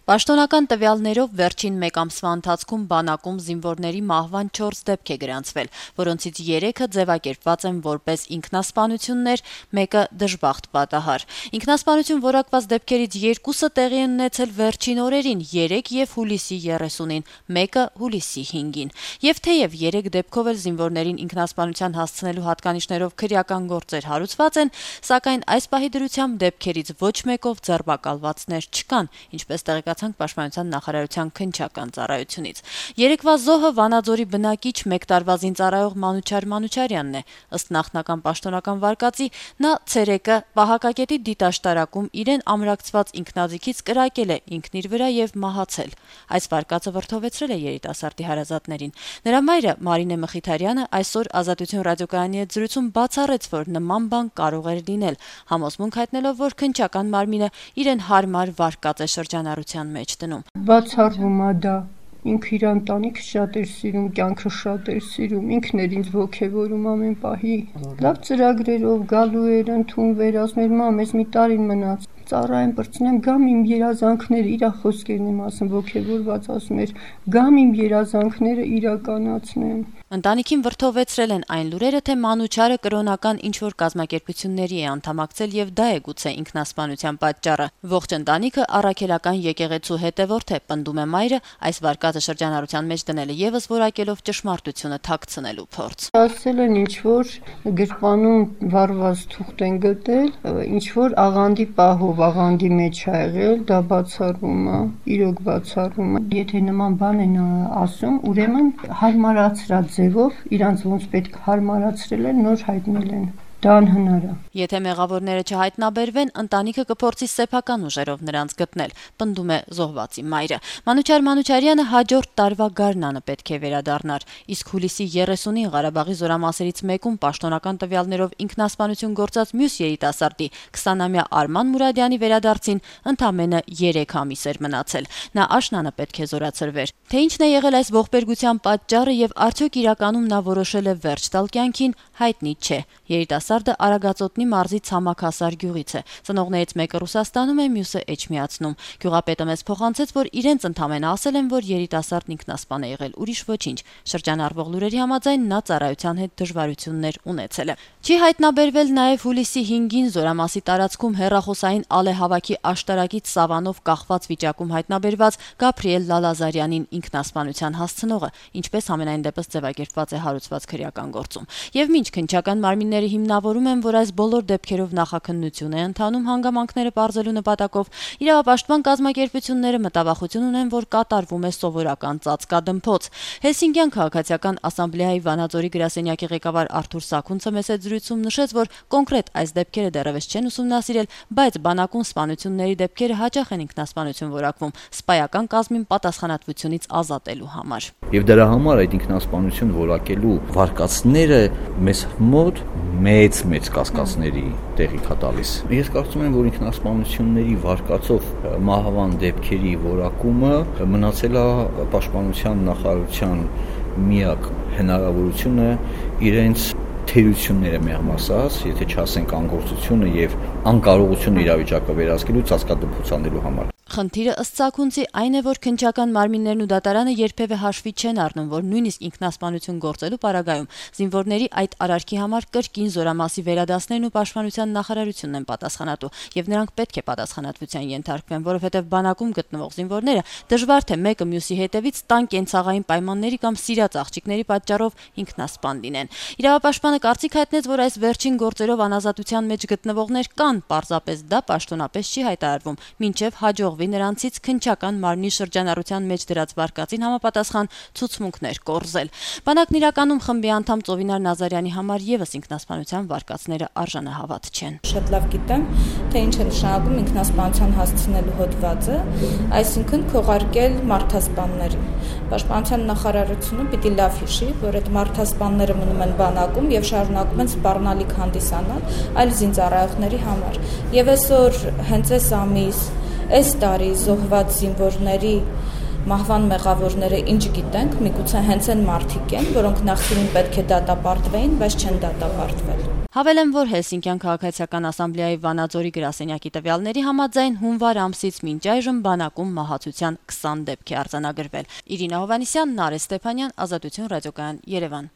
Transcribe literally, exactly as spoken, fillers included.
Պաշտոնական տվյալներով վերջին մեկ ամսվա ընթացքում բանակում զինվորների մահվան չորս դեպք է գրանցվել, որոնցից երեքը ձևակերպված են որպես ինքնասպանություններ, մեկը դժբախտ պատահար։ Ինքնասպանություն որակված դեպքերից երկուսը տեղի են ունեցել վերջին օրերին՝ երեկ եւ հուլիսի երեսունին, մեկը հուլիսի հինգին։ Եվ թեև երեք դեպքով էլ զինվորներին ինքնասպանության հասցնելու հատկանիշներով քրեական գործեր հարուցված են, սակայն այս պահի դրությամբ դեպքերից ոչ մեկով ձերբակալվածներ չկան, ինչպես տեղեկացանք Պաշտպանության նախարարության քննչական ծառայությունից։ Երեկվա զոհը Վանաձորի բնակիչ մեկ տարվա զինծառայող Մանուչար Մանուչարյանն է։ Ըստ նախնական պաշտոնական վարկածի, նա ցերեկը Պահակակետի դիտաշտարակում իրեն ամրակցված ինքնաձիգից կրակել է ինքն իր վրա եւ մահացել։ Այս վարկածը վրդովեցրել է երիտասարդի հարազատներին։ Նրա մայրը Մարինե Մխիթարյանը այսօր Ազատություն ռադիոկայանի հետ զրույցում բացառեց, որ նման բան կարող էր լինել, համոզմունք հայտնելով, որ քննչական մարմինը իրեն հարմար վարկած է շրջանառության մեջ դնում։ Բացառվում է դա։ Ինքը իր ընտանիքը շատ էր սիրում, կյանքը շատ էր սիրում, ինքն էր ինձ ոգևորում ամեն պահի։ Լավ ծրագրերով գալու էր, ընդունվեր, ասում էր՝ մամ, ես մի տարին մնաց, ծառայեմ, պրծնեմ, գամ իմ երազանքները, իր խոսքերն եմ ասում, ոգևորված ասում էր, գամ իմ երազանքները իրականացնեմ։ Ընտանիքին վրդովեցրել են այն լուրերը, թե Մանուչարը կրոնական ինչ-որ կազմակերպությունների է անդամակցել եւ դա է գուցե ինքնասպանության պատճառը։ Ողջ ընտանիքը առաքելական եկեղեցու հետևորդ է, պնդում է մայրը, այս վարկածը շրջանառության մեջ դնելը եւս որակելով ճշմարտությունը թաքցնելու փորձ։ Ասել են ինչ-որ գրպանում վառված թուղթ են գտել, ինչ-որ աղանդի պահով աղանդի մեջ ա եղել, դա բացառվում է, իրոք բացառվում է։ Եթե նման բան են ասում, ուրեմն հարմարացրած ձևով իրանց ոնց պետք հարմարացրել են, նոր հայտնել են։ Դա անհնար է։ Եթե մեղավորները չհայտնաբերվեն, ընտանիքը կփորձի սեփական ուժերով նրանց գտնել, պնդում է զոհվածի մայրը։ Մանուչար Մանուչարյանը հաջորդ տարվա գարնանը պետք է վերադառնար, իսկ հուլիսի երեսունին Ղարաբաղի զորամասերից մեկում պաշտոնական տվյալներով ինքնասպանություն գործած մյուս երիտասարդի քսանամյա Արման Մուրադյանի վերադարձին ընդամենը երեք ամիս էր մնացել։ Նա աշնանը պետք է զորացրվեր։ Թե ինչն է եղել այս ողբերգության պատճառը եւ արդյոք իրականում նա որոշել է վերջ տալ կյանքին, հայտնի չէ։ Երիտասարդը Արագածոտնի մարզի Ցամաքասար գյուղից է։ Ծնողներից մեկը Ռուսաստանում է, մյուսը Էջմիածնում։ Գյուղապետը մեզ փոխանցեց, որ իրենց ընդամենը ասել են, որ երիտասարդն ինքնասպան է եղել, ուրիշ ոչինչ։ Շրջանառվող լուրերի համաձայն նա ծառայության հետ դժվարություններ ունեցել է։ Չի հայտնաբերվել նաեւ հուլիսի հինգին Զորամասի տարածքում հեռախոսային ալեհավաքի աշտարակից սավանով կախված վիճակում հայտնաբերված Գաբրիել Լալազարյանին ինքնասպանության հասցնողը, ինչպես համենայն դեպս ձևակերպված է հարուցված քրեական գործում։ Եվ մինչ քննչական մարմինները հիմնավորում են, որ այս բոլոր դեպքերով նախաքննություն է ընթանում հանգամանքները պարզելու նպատակով, իրավապաշտպան կազմակերպությունները մտավախություն ունեն, որ կատարվում է սովորական ծածկադմփոց։ Հելսինկյան քաղաքացիական ասամբլեայի Վանաձորի գրասենյակի ղեկավար Արթուր Սաքունցը մեծ հետ զրույցում նշեց, որ կոնկրետ այս դեպքերը դեռևս չեն ուսումնասիրել, բայց բանակում սպանությունների դեպքերը հաճախ են ինքնասպանություն որակվում սպայական կազմին պատասխանատվությունից ազատելու համար։ Եվ դրա համար այդ ինքնասպանություն որակելու վարկածները մեզ մոտ մեծ մեծ կասկածների տեղիք է տալիս։ Ես կարծում եմ, որ ինքնասպանությունների վարկածով մահվան դեպքերի որակումը մնացել է Պաշտպանության նախարարության միակ հնարավորությունը իրենց թերությունները միամասած, եթե չասենք անգործությունը եւ անկարողությունը իրավիճակը վերահսկելու ծածկադպուցանելու համար։ Խնդիրը ըստ Սաքունցի այն է, որ քննչական մարմիններն ու դատարանը երբևէ հաշվի չեն առնում, որ նույնիսկ ինքնասպանություն գործելու պարագայում զինվորների այդ արարքի համար կրկին Զորամասի վերադասներն ու Պաշտպանության նախարարությունն են պատասխանատու, եւ նրանք պետք է պատասխանատվության ենթարկվեն, որովհետեւ բանակում գտնվող զինվորները դժվար թե մեկը մյուսի հետևից տան կենցաղային պայմանների կամ սիրած աղջիկների պատճառով ինքնասպան լինեն։ Իրավապաշտպանը կարծիք հայտնեց, որ այս վերջին գործերով անազատության մեջ գտնվողներ կան, պարզապես դա պաշտոնապես չի հայտարարվում, մինչեւ հաջող նրանցից քննչական մարմնի շրջանառության մեջ դրած վարկածին համապատասխան ցուցմունքներ կորզել։ Բանակն իրականում խմբի անդամ Ծովինար Նազարյանի համար եւս ինքնասպանության վարկածները արժանահավատ չեն։ Շատ լավ գիտեմ, թե ինչ է նշանակում ինքնասպանության հասցնելու հոդվածը, այսինքն քողարկել մարդասպաններին։ Պաշտպանության նախարարությունը պիտի լավ հիշի, որ այդ մարդասպանները մնում են բանակում եւ շարունակում են սպառնալիք հանդիսանալ այլ զինծառայողների համար։ Եվ այսօր հենց այս ամիս Այս տարի զոհված զինվորների մահվան մեղավորները ինչ գիտենք, միգուցե հենց այն մարդիկ են, որոնք նախկինում պետք է դատապարտվեին, բայց չեն դատապարտվել։ Հավելեմ, որ Հելսինկյան քաղաքացիական ասամբլեայի Վանաձորի գրասենյակի տվյալների համաձայն հունվար ամսից մինչ այժմ բանակում մահացության քսան դեպք է արձանագրվել։ Իրինա Հովհաննիսյան, Նարէ Ստեփանյան, Ազատություն ռադիոկայան, Երևան։